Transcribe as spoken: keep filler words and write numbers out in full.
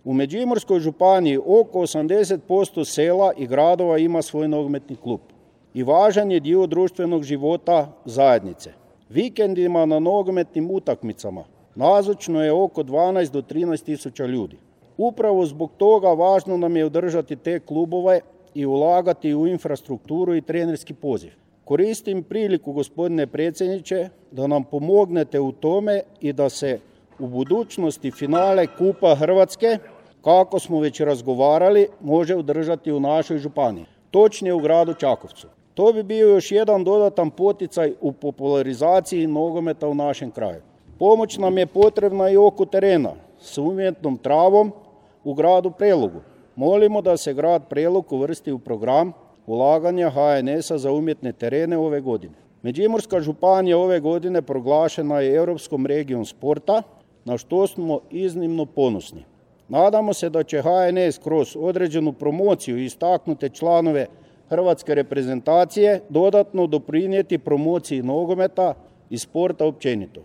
U Međimurskoj županiji oko osamdeset posto sela i gradova ima svoj nogometni klub i važan je dio društvenog života zajednice. Vikendima na nogometnim utakmicama nazočno je oko dvanaest do trinaest tisuća ljudi. Upravo zbog toga važno nam je održati te klubove i ulagati u infrastrukturu i trenerski poziv. Koristim priliku, gospodine predsjedniče, da nam pomognete u tome i da se u budućnosti finale Kupa Hrvatske, kako smo već razgovarali, može održati u našoj županiji, točnije u gradu Čakovcu. To bi bio još jedan dodatan poticaj u popularizaciji nogometa u našem kraju. Pomoć nam je potrebna i oko terena s umjetnom travom u gradu Prelogu. Molimo da se grad Prelog uvrsti u program ulaganja H N S-a za umjetne terene ove godine. Međimurska županija ove godine proglašena je Europskom regijom sporta, na što smo iznimno ponosni. Nadamo se da će H N S kroz određenu promociju i istaknute članove hrvatske reprezentacije dodatno doprinijeti promociji nogometa i sporta općenito.